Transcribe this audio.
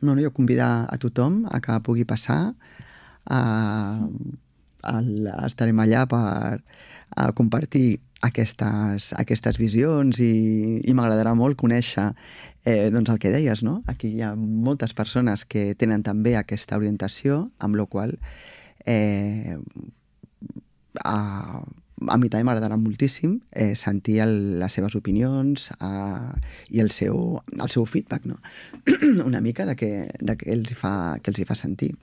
No, jo convidar a tothom a que pugui passar, estarem allà per compartir aquestes visions i m'agradarà molt conèixer doncs el que deies, no? Aquí hi ha moltes persones que tenen també aquesta orientació, amb la qual a mi també m'agradarà moltíssim sentir les seves opinions i el seu feedback, no? Una mica de què els hi fa sentir.